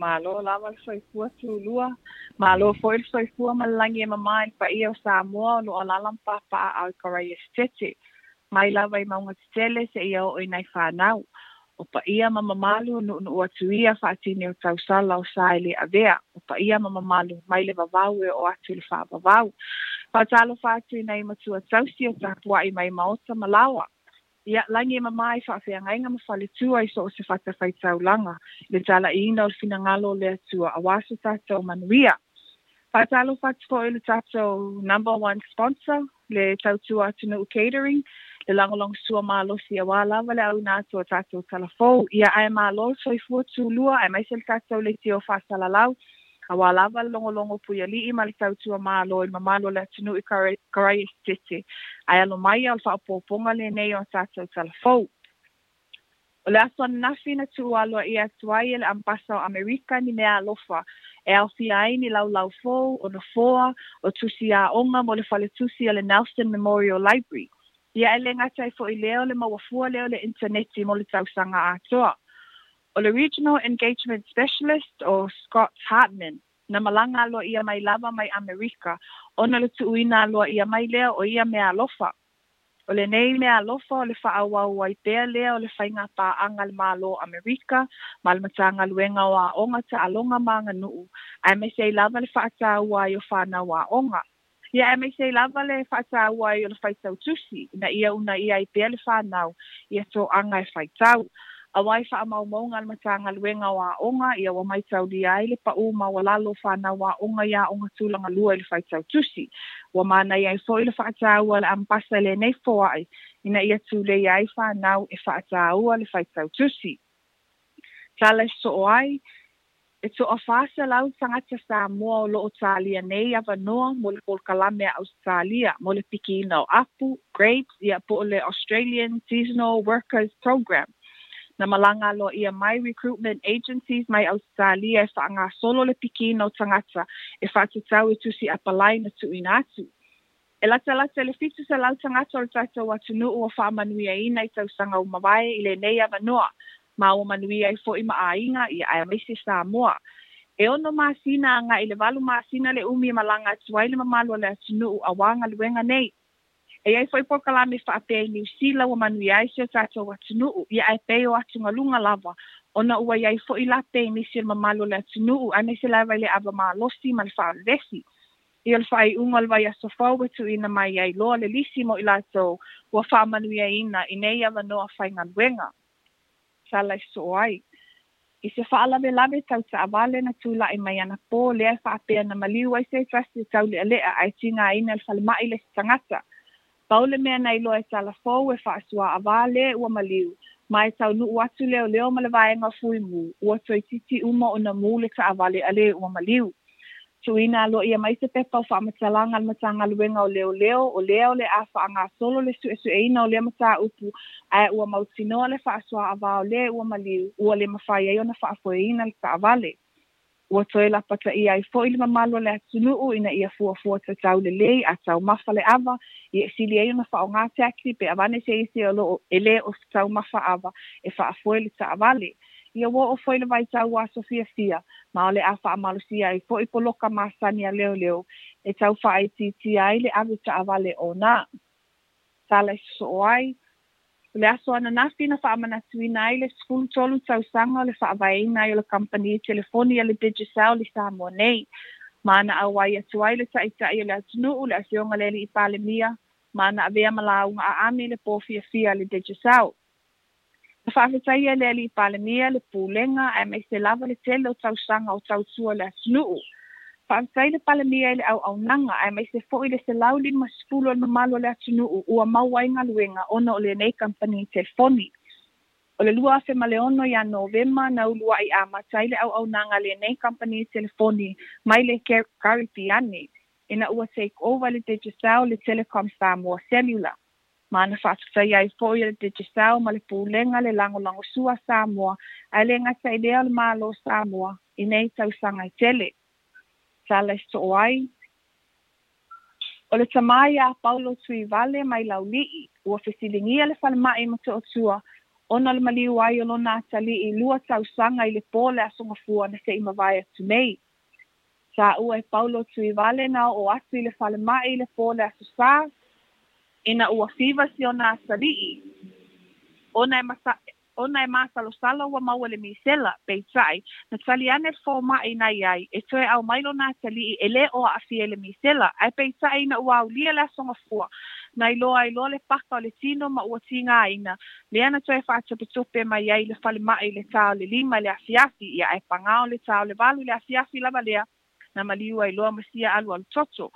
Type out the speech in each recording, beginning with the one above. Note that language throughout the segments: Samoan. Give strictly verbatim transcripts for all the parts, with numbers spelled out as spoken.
Malo lava le soifua tulua, malo foi le soifua ma le lagi e mamā i le paia o Samoa o loo alaala ma papaaao i Karaia Setete, mai lava i mauga tetele seia oo i nai fanau. O paia ma mamalu nuunuu atu ia faatini o tausala o sa e le avea, o paia ma mamalu mai le vavau e oo atu i le faavavau. Faatalofa atu i nai matua tausi o tapuai mai maota ma laoa. Ia lagi e mamā i faafeagaiga ma faletua i so o se fatafaitaulaga i le talaiina o le finagalo o le Atua auā so tatou manuia. Faatalofa atu foi i le tatou number one sponsor, le Tautua Atunuu Catering, le lagolagosua malosi auā lava le auina atu o tatou talafou. Ia ae malo le soifua tulua aemaise le tatou leitio faasalalau, auā lava le logologo puialii ma le tautua malo i le mamalu o le atunuu i Karaia Setete. Ae alo mai o le faaopoopoga lenei o tatou talafou. O le aso ananafi na tuualoaia atu ai e le Ambasa o Amerika ni mea alofa e aofia ai ni laulau fou, o nofoa, o tusi aoga mo le faletusi o le Nelson Memorial Library. Ia e le gata ai foi lea o le mauafua lea o le initaneti mo le tausaga atoa. O le Regional Engagement Specialist o Scott Hartman na malaga aloaia mai lava mai Amerika ona le tuuina aloaia mai lea o ia mea alofa. O lenei mea alofa o le faaauau ai pea lea o le faiga paaga a le Malo o Amerika ma le Matagaluega o Aoga, Taaloga ma Aganuu, aemaise ai lava le faataua ai o fanau aoga. Ia aemaise ai lava le faataua ai o le faitau tusi ina ia uunaia ai pea le fanau ia toaga e faitau. Auā i faamaumauga a le Matagaluega o Aoga, ia ua maitaulia ai le paū maualalo o fanau aoga i aoga tulagalua i le faitau tusi. Ua manaia ai foi le faataua a le Ambasa i lenei foai ina ia tuleia ai fanau e faataua le faitau tusi. Tala e sosoo ai, e toafa selau tagata Samoa o loo talia nei avanoa mo le polokalame a Ausetalia mo le pikiina o apu, grapes, ia po o le Australian Seasonal Workers Program. Na malaga aloaia mai recruitment agencies mai Ausetalia e faagasolo le pikiina o tagata e faatatau i tusi apalai na tuuina atu. E latalata i le fitu selau tagata o le tatou atunuu ua faamanuiaina i tausaga ua mavae i lenei avanoa, ma ua manuia ai foi ma aiga ia aemaise Samoa. E ono masina agai i le valu masina le umi e malaga atu ai le mamalu o le atunuu auā galuega nei. E iai foi polokalame faapea i Niusila ua manuia ai si o tatou atunuu, ia ae pei o atugaluga lava ona ua iai foi lape i nisi o le mamalu o le atunuu aemaise lava i le ava malosi ma le faavevesi. Ia o le faaiuga o le vaiaso fou e tuuina mai ai loa le lisi mo i latou ua faamanuiaina i nei avanoa faigaluega. Tala e sosoo ai, i se faalavelave tau taavale na tulai mai anapō lea e faapea na maliu ai se tasi o taulealea ae tigaina i le falemai le isi tagata. Pau le mea na iloa e Talafou e faasuaavā le ua maliu, ma e taunuu atu leoleo ma le vaega o Fuimu, ua toeitiiti uma ona mū le taavale a le ua maliu. Tuuina aloaia mai se pepa o faamatalaga a le Matagaluega o Leoleo o lea o le a faagasolo le suesueina o lea mataupu, ae ua mautinoa le faasuaavā o le ua maliu ua le mafai ai ona faafoeina le taavale. Ua toe lapataia ai foi le mamalu o le atunuu ina ia fuafua tatau lelei a taumafa le ava, ia e sili ai ona faaaogā taxi pe avane se isi o loo e le o taumafa ava e faafoe le taavale. Ia ua oo foi le vaitau o aso fiafia, ma o le a faamalosia ai foi poloka masani a leoleo e tau faaitiitia ai le ave taavale ona. Tala e sosoo ai, o le aso ananafi na faamanatuina ai le sefulutolu tausaga o le faavaeina ai o le kamupani telefoni a le Digicel i Samoa nei. Ma na auai atu ai le Taitai o le atunuu, le Afioga i le Alii Palemia, ma na avea ma lauga aami i le pō fiafia a le Digicel. Na faafetaia e le Alii Palemia le pulega aemaise lava le tele o tausaga o tautua le atunuu. Faafetai le Palemia i le auaunaga aemaise foi le selau limasefulu o le mamalu o le atunuu ua maua ai galuega ona o lenei kamupani telefoni. O le lua afe ma le ono ia Novema na uluai amata ai le auaunaga a lenei kamupani telefoni mai le Karipiane ina ua take over le Digicel le Telecom Samoa Cellular. Ma na faafetaia ai foi e le Digicel ma le pulega le lagolagosua a Samoa ae le gata i lea o le Malo o Samoa i nei tausaga e tele. Tala e sosoo ai, o le tamā ia Paulo Tuivale mai Laulii ua fesiligia le falemai i Motootua Ona le maliu ai o lona atalii lua tausaga i le po le Aso Gafua na se i mavae atu nei. Sa ua e Paulo Tuivale na oo atu i le falemai i le po le Aso Sa, ina ua fiva si ona atalii. Ona e masa, ona e masalosalo ua maua le misela, peitai, na tali ane le fomai na iai, e toe au mai lona atalii e le o aafia i le misela, ae peitai ina ua aulia le Aso Gafua, na iloa ai loa le paka o le tino ma ua tigaina, lea na toe faatopetope mai ai le falemai i le tā o le lima i le afiafi, ia ae pagā o le tā o le valu i le afiafi lava lea, na maliu ai loa ma sia alualu toto.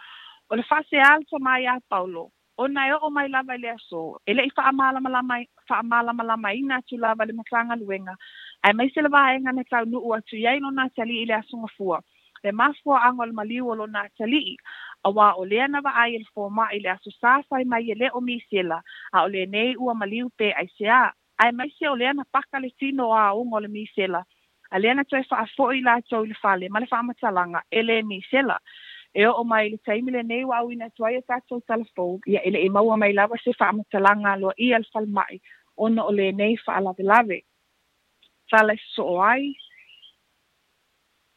O le faasea le tomai a Paulo, ona e oo mai lava i le aso, e le'i faamalamalamaina atu lava le Matagaluega, aemaise le vaega na taunuu atu i ai lona atalii i le Aso Gafua, le mafuaaga o le maliu o lona atalii, auā o lea na vaai e le fomai i le Aso Sa fai mai e le o misela, a o lenei ua maliu pe aiseā, aemaise o lea na paka le tino o aoga o le misela, a lea na toe faafo'i latou i le fale ma le faamatalaga e le misela. E oo mai le taimi lenei ua auina atu ai a tatou talafou, ia e le'i maua mai lava se faamatalaga aloaia le falemai ona o lenei faalavelave. Tala e sosoo ai,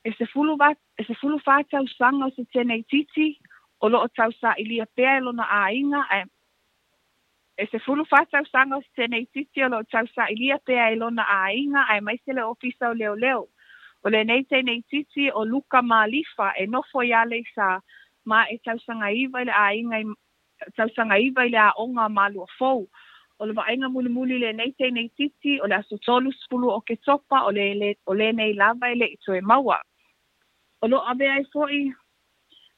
e sefulu va, e sefulu fa tausaga o se teneititi o loo tausailia pea e lona aiga ae e sefulu fa tausaga o se teneititi o loo tausailia pea e lona aiga aemaise le ofisa o leoleo. O lenei teneititi o Luka Malifa e nofo ia Aleisa ma e tausaga iva i le aiga tausaga iva i le aoga Maluafou. O le vaaiga mulimuli lenei teneititi o le aso tolu sefulu o Oketopa o le o lenei lava e le'i toe maua. O loo avea ai fo'i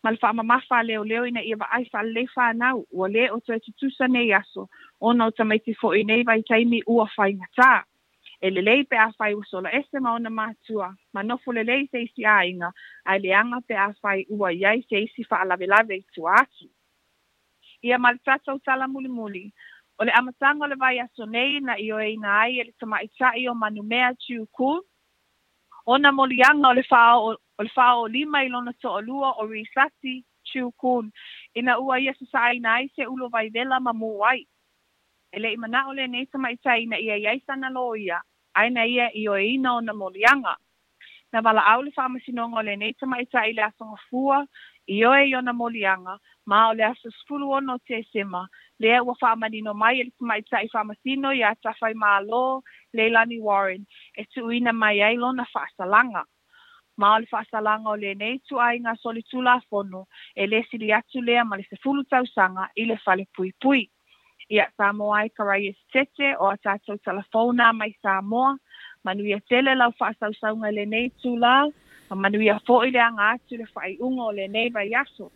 ma le faamamafa a leoleo ina ia vaai faalelei fanau ua lē o toe tutusa nei aso ona o tamaiti fo'i nei vaitaimi ua faigatā. E lelei pe afai ua sola ese ma ona matua, ma nofo lelei se isi aiga, ae leaga pe afai ua iai se isi faalavelave i tua atu. Ia ma le tatou tala mulimuli, o le amataga o le vaiaso nei na ioeina ai e le tamaita'i o Manumea Tiuku, ona moliaga o le faaoo o le faaoolima i lona toalua o Risasi Tiukun, ina ua ia sasaaina ai se ulo vaivela ma mū ai. E le'i manao lenei tamaita'i ina ia iai sana loia, ae na ia ioeina ona moliaga. Na valaau le faamasinoga o lenei tamaita'i i le Aso Gafua, ioe i ona moliaga, ma o le aso sefulu ono o Tesema, lea ua faamanino mai e le tamaita'i faamasino iā Tafaimālō Leilani Warren, e tuuina mai ai lona faasalaga. Ma o le faasalaga o lenei ituaiga solitulafono, e lē sili atu lea ma le sefulu tausaga i le falepuipui. Ia Samoa e Karaias Tete o a tatou talafou na mai Samoa, manuia tele lau faasausauga i lenei itulā, ma manuia fo'i le aga atu i le faaiuga o lenei vaiaso.